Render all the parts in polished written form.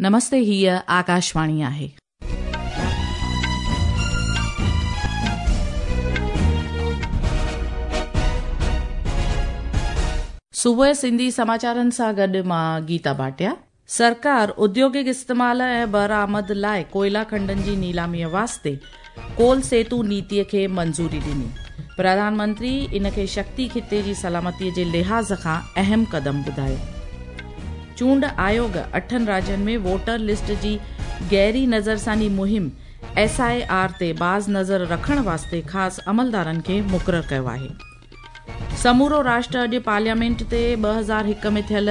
نمستي هيء آڪاشواڻي آهي. صبح سنڌي سماچارن سان گڏ مان گيتا ڀاٽيا. سرڪار اديوگڪ استعمال ۽ برآمد لاء ڪوئلا کنڊن جي نيلاميء واسطي ڪول سيتو نيتيء کي منظوري ڏني. پرڌان منتري ان کي شڪتي خطي جي سلامتي جي لحاظ کان اهم قدم ٻڌايو. چونڊ آيوڳ اٺن راجين ۾ ووٽر لسٽ جي گهري نظرثاني مهم ايس I R تي باز نظر رکڻ واسطي خاص عملدارن کي مقرر ڪيو آهي. سمورو راشٽر اڄ پارليامينٽ تي 2001 ۾ ٿيل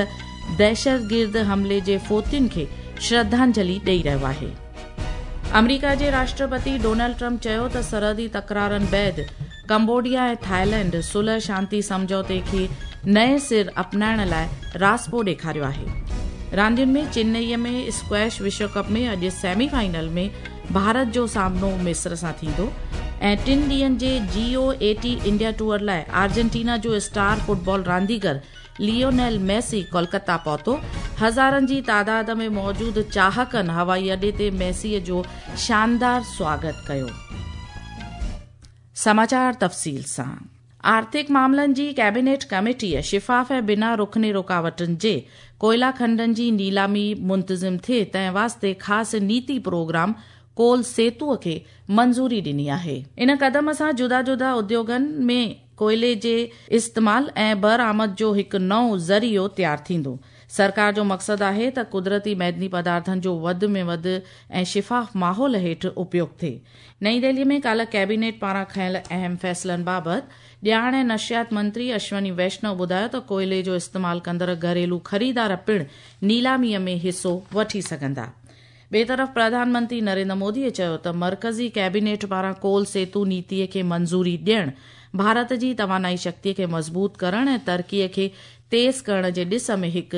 دهشتگرد حملي جي فوتين کي شرڌانجلي ڏئي رهيو آهي. آمريڪا جي راشٽرپتي ڊونلڊ ٽرمپ چيو ته سرحدي تڪرارن بعد ڪمبوڊيا ۽ ٿائيلينڊ صلح شانتي سمجهوتي کي نئين سر اپنائڻ لاء راضپو ڏيکاريو آهي. راندين ۾ چنئي ۾ اسڪواش وشو ڪپ ۾ اڄ سيمي فائنل ۾ ڀارت جو سامنو مصر سان ٿيندو ۽ ٽن ڏينهن جي جي او اي ٽي انڊيا ٽوئر لاء آرجنٽينا جو اسٽار فٽبال رانديگر ليونيل ميسي ڪولڪتا پهتو. هزارن جي تعداد ۾ موجود چاهڪن هوائي اڏي تي ميسي جو شاندار سواگت ڪيو. سماچار تفصيل سان آرٿڪ معاملن جي ڪيبينيٽ ڪميٽيء شفاف ۽ بنا رخني رڪاوٽن جي ڪوئلا کنڊن جي نيلامي منتظم ٿئي تنهن واسطي خاص نيتي پروگرام ڪول سيتو کي منظوري ڏني آهي. ان قدم سان جدا جدا اديوگن ۾ ڪوئلي جي استعمال ۽ برآمد جو هڪ نئون ذريعو تيار ٿيندو. سرڪار جو مقصد آهي ته قدرتي معدني پدارٿن جو وڌ ۾ وڌ ۽ شفاف ماحول هيٺ اپيوگ ٿئي. نئين دهلي ۾ ڪالهه ڪيبينيٽ پاران کنيل اهم فيصلن بابت ڄاڻ ۽ نشريات منتري اشوني ويشنو ٻڌايو ته ڪوئلي جو استعمال ڪندڙ گهريلو خريدار پڻ نيلامي ۾ حصو وٺي سگهندا. ٻئي طرف پرڌان منتري نريندر مودي چيو ته مرڪزي ڪيبينيٽ پاران ڪول سيتو نيتي کي منظوري ڏيڻ ڀارت جي توانائي شڪتي کي مضبوط ڪرڻ ۽ ترقي کي تيز ڪرڻ جي ڏس ۾ هڪ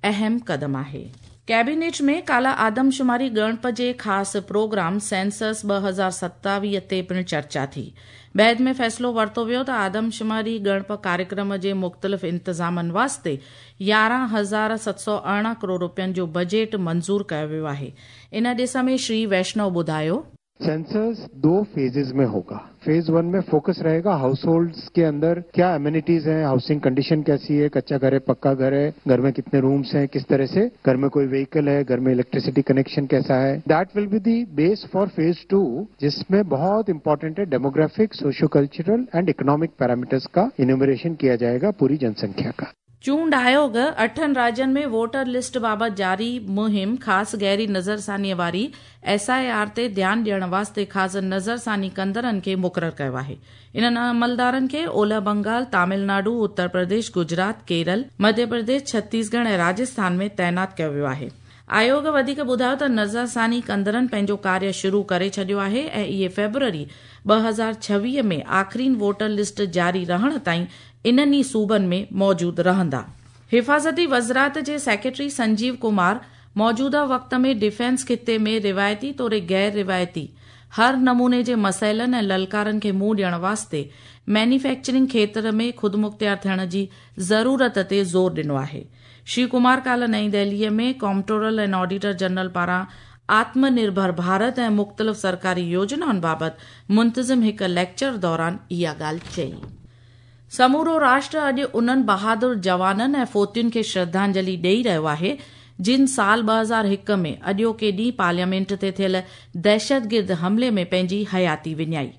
اهم قدم آهي. ڪيبينيٽ ۾ ڪالهه آدمشماري ڳڻپ جي خاص پروگرام سينسس 2027 تي پڻ چرچا ٿي. بعد ۾ فيصلو ورتو ويو ته آدمشماري ڳڻپ ڪاريڪرم جي مختلف انتظامن واسطي 11,718 ڪروڙ رپين جو بجيٽ منظور ڪيو ويو آهي. ان ڏس ۾ شري ويشنو ٻڌايو. सेंसस दो फेजेस में होगा। फेज वन में फोकस रहेगा हाउस होल्ड्स के अंदर क्या एमेनिटीज हैं, हाउसिंग कंडीशन कैसी है, कच्चा घर है, पक्का घर है, घर में कितने रूम्स हैं, किस तरह से घर में कोई व्हीकल है, घर में इलेक्ट्रिसिटी कनेक्शन कैसा है। That will be the base for phase two, जिसमें बहुत इंपॉर्टेंट है demographic, socio cultural and economic parameters का इन्यूमरेशन किया जाएगा पूरी जनसंख्या का। चूंड आयोग अठनि राज्यनि में वोटर लिस्ट बाबति जारी मुहिम ख़ासि गहरी नज़रसानीअ वारी एस I R ते ध्यानु ॾियण वास्ते ख़ासि नज़रसानी कंदड़नि खे मुक़ररु कयो आहे। इन्हनि अमलदारनि खे ओलह बंगाल, तमिलनाडु, उत्तर प्रदेश, गुजरात, केरल, मध्य प्रदेश, छत्तीसगढ़ ऐं राजस्थान में तैनात कयो वियो आहे। आयोग वधीक ॿुधायो त नज़रसानी कंदड़नि पंहिंजो कार्य शुरू करे छॾियो आहे ऐं इहे फेब्रुअरी 2026 में आख़िरीन वोटर लिस्ट जारी रहण ताईं इन्हनि ई सूबनि में मौजूद रहंदा। हिफाज़ती वज़ारत जे सेक्रेटरी संजीव कुमार मौजूदा वक़्त में डिफेंस खिते में रिवायती तोड़े गैर रिवायती हर नमूने जे मसइलनि ऐं ललकारनि खे मुंहुं ॾियण वास्ते मैन्युफैक्चरिंग खेतर में ख़ुदमुख़्तियार थियण जी ज़रूरत ते ज़ोर ॾिनो आहे। श्री कुमार काल्ह नई दिल्लीअ में कॉम्पट्रोलर ऐं ऑडिटर जनरल पारां आत्मनिर्भर भारत ऐं मुख़्तलिफ़ सरकारी योजनाउनि बाबति मुंतज़िम हिकु लेक्चर दौरान इहा ॻाल्हि चई। समूरो राष्ट्र अॼु उन्हनि बहादुर जवाननि ऐं फ़ोतियुनि खे श्रद्धांजलि ॾेई रहियो आहे जिन साल 2001 में अॼोके ॾींहुं पार्लियामेंट ते थियल दहशतगिर्द हमले में पंहिंजी हयाती विञाई।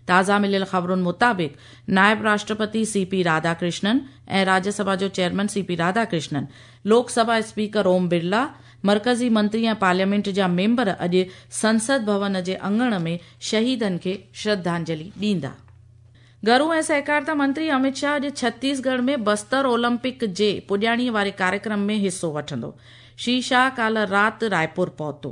ताज़ा मिलियल ख़बरुनि मुताबिक़ नायब राष्ट्रपति सी.पी. राधाकृष्णन ऐं राज्यसभा जो chairman C P. Radhakrishnan, Lok Sabha speaker Om Birla, मर्कज़ी मंत्री ऐं पार्लियामेंट जा मेंबर अॼु संसद भवन जे अंगण में शहीदनि खे श्रद्धांजलि ॾींदा। घरू ऐं सहकारिता मंत्री अमित शाह अॼु छत्तीसगढ़ में बस्तर ओलंपिक जे पुॼाणीअ वारे कार्यक्रम में हिसो वठंदो। श्री शाह काल्ह राति रायपुर पहुतो।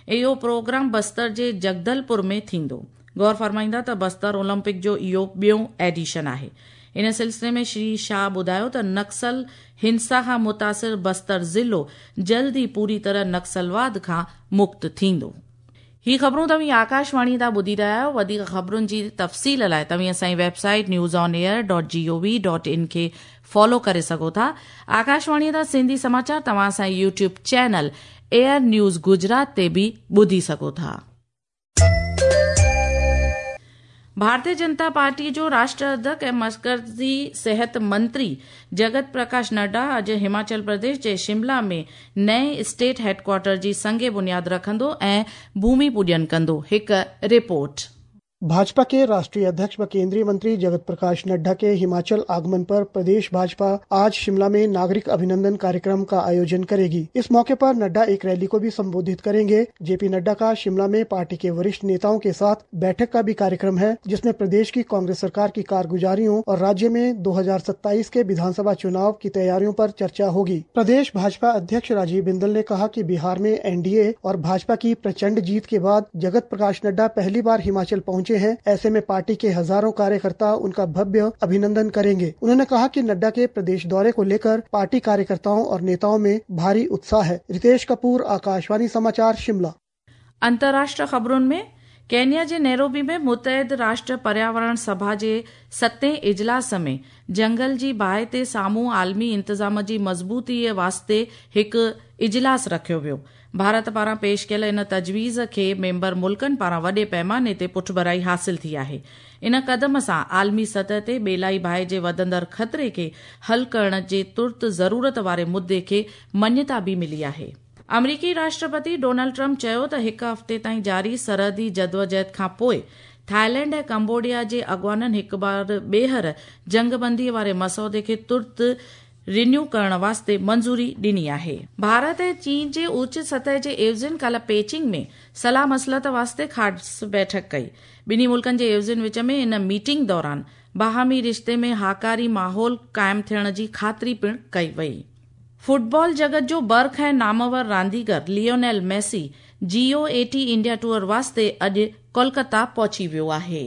इहो प्रोग्राम बस्तर जे जगदलपुर में थींदो। गौर फरमाईंदा त बस्तर ओलंपिक जो इहो ॿियो एडिशन आहे। इन सिलसिले में श्री शाह ॿुधायो त नक्सल हिंसा खां मुतासिर बस्तर ज़िलो जल्द ई पूरी तरह नक्सलवाद खां मुक्त थींदो। ही ख़बरूं तव्हीं आकाशवाणी तां ॿुधी रहिया आहियो। वधीक ख़बरुनि जी तफ़सील लाइ तव्हीं असांजी website newsonair.gov.in खे फॉलो करे सघो था। आकाशवाणीअ तां सिंधी समाचार तव्हां असांजे YouTube channel air news Gujarat ते बि ॿुधी सघो था। भारतीय जनता पार्टी जो राष्ट्र अध्यक्ष ऐं मरकज़ी सिहत मंत्री जगत प्रकाश नड्डा अॼु हिमाचल प्रदेश जे शिमला में नए स्टेट हेडक्वार्टर जी संग बुनियाद रखंदो ऐं भूमि पूजन कंदो। हिकु रिपोर्ट। भाजपा के राष्ट्रीय अध्यक्ष व केंद्रीय मंत्री जगत प्रकाश नड्डा के हिमाचल आगमन पर प्रदेश भाजपा आज शिमला में नागरिक अभिनंदन कार्यक्रम का आयोजन करेगी। इस मौके पर नड्डा एक रैली को भी संबोधित करेंगे। जेपी नड्डा का शिमला में पार्टी के वरिष्ठ नेताओं के साथ बैठक का भी कार्यक्रम है, जिसमें प्रदेश की कांग्रेस सरकार की कारगुजारियों और राज्य में 2027 के विधानसभा चुनाव की तैयारियों पर चर्चा होगी। प्रदेश भाजपा अध्यक्ष राजीव बिंदल ने कहा कि बिहार में एनडीए और भाजपा की प्रचंड जीत के बाद जगत प्रकाश नड्डा पहली बार हिमाचल पहुंचे हैं। ऐसे में पार्टी के हजारों कार्यकर्ता उनका भव्य अभिनंदन करेंगे। उन्होंने कहा कि नड्डा के प्रदेश दौरे को लेकर पार्टी कार्यकर्ताओं और नेताओं में भारी उत्साह है। रितेश कपूर, आकाशवाणी समाचार, शिमला। अंतर्राष्ट्रीय ख़बरुनि में केन्या जे नैरोबी में मुतहद राष्ट्र पर्यावरण सभा जे सतें इजलास में जंगल जी बाहि ते साम्हूं आलमी इंतज़ाम जी मज़बूतीअ वास्ते हिकु इजलास रखियो वियो। भारत पारां पेश कयल इन तजवीज़ खे मेंबर मुल्कनि पारां वॾे पैमाने ते पुठभराई हासिल थी आहे। इन कदम सां आलमी सतह ते ॿेलाई बाहि जे वधंदड़ ख़तरे खे हल करण जे तुर्त ज़रूरत वारे मुद्दे खे मञता बि मिली आहे। अमरीकी राष्ट्रपति डोनाल्ड ट्रंप चयो त हिकु हफ़्ते ताईं जारी सरहदी जदोजहद खां पोइ थाईलैंड ऐं कंबोडिया जे अॻवाननि हिकु बार ॿीहर जंगबंदी वारे मसौदे खे तुर्त रिन्यू करण वास्ते मंज़ूरी ॾिनी आहे। भारत ऐं चीन जे उच्च सतह जे एवज़ियुनि काल्ह पेचिंग में सलाह मसलत वास्ते ख़ासि बैठक कई। ॿिन्ही मुल्कनि जे एवज़ियुनि विच में इन मीटिंग दौरान बाहमी रिश्ते में हाकारी माहौल क़ाइमु थियण जी ख़ातिरी पिणु कई वई। फुटबॉल जगत जो बर्ख ऐं नामवर रांदीगर Lionel Messi GOAT India tour वास्ते अॼु कोलकाता पहुची वियो आहे।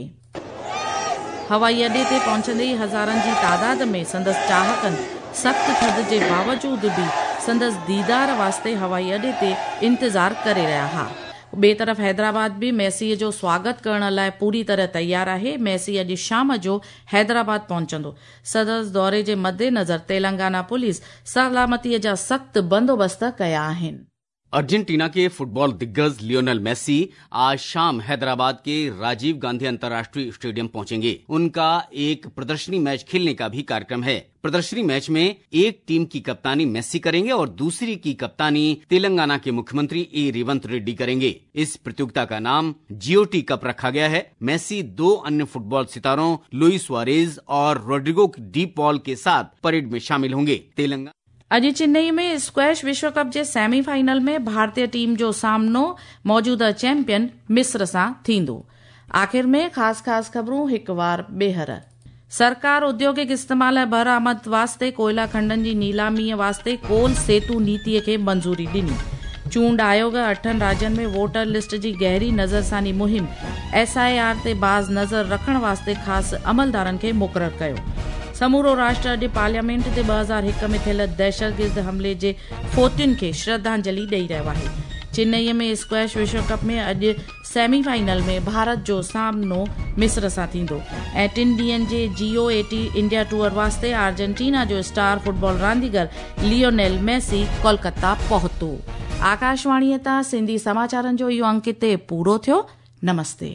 हवाई अॾे ते पहुचंदे ई हज़ारनि जी तादाद में संदसि चाहकनि सख़्तु थधि जे बावजूद बि संदसि दीदार वास्ते हवाई अॾे ते इंतज़ार करे रहिया हुआ। ॿिए तरफ़ हैदराबाद बि मेसीअ जो स्वागत करण लाइ पूरी तरह तयारु आहे। मेसी अॼु शाम जो हैदराबाद पहुचंदो। संदसि दौरे जे मद्देनज़र तेलंगाना पुलिस सलामतीअ जा सख़्तु बंदोबस्त कया आहिनि। अर्जेंटीना के फुटबॉल दिग्गज लियोनेल मेसी आज शाम हैदराबाद के राजीव गांधी अंतर्राष्ट्रीय स्टेडियम पहुंचेंगे। उनका एक प्रदर्शनी मैच खेलने का भी कार्यक्रम है। प्रदर्शनी मैच में एक टीम की कप्तानी मेसी करेंगे और दूसरी की कप्तानी तेलंगाना के मुख्यमंत्री ए रेवंत रेड्डी करेंगे। इस प्रतियोगिता का नाम जीओटी कप रखा गया है। मेसी दो अन्य फुटबॉल सितारों लुइस सुआरेज और रोड्रिगो डी पॉल के साथ परेड में शामिल होंगे। तेलंगाना अॼु चेन्नई में स्क्वैश विश्व कप जे सेमीफाइनल में भारतीय टीम जो सामनो मौजूदा चैंपियन मिस्र सां थींदो। आख़िर में ख़ासि ख़ासि ख़बरूं हिकु वार ॿीहर। सरकार औद्योगिक इस्तेमाल ऐं बरामद वास्ते कोयला खंडनि जी नीलामीअ वास्ते कोल सेतु नीतीअ खे मंज़ूरी ॾिनी। चूंड आयोग अठनि राज्यनि में वोटर लिस्ट जी गहरी नज़रसानी मुहिम एसआईआर ते बाज़ नज़र रखण वास्ते ख़ासि अमलदारनि खे मुक़ररु कयो। समूरो राष्ट्र अॼु पार्लियामेंट ते 2001 में थियल दहशतगिर्द हमले जे फ़ोतियुनि खे श्रद्धांजलि ॾेई रहियो आहे। चेन्नईअ में स्क्वैश विश्व कप में अॼु सेमीफाइनल में भारत जो सामनो मिस्र सां थींदो ऐं टिनि ॾींहंनि जे जीओएटी इंडिया टूर वास्ते आर्जेंटीना जो स्टार फुटबॉल रांदीगर लियोनेल मेसी कोलकाता पहुतो। आकाशवाणीअ तां सिंधी समाचारनि जो इहो अंक हिते पूरो थियो। नमस्ते।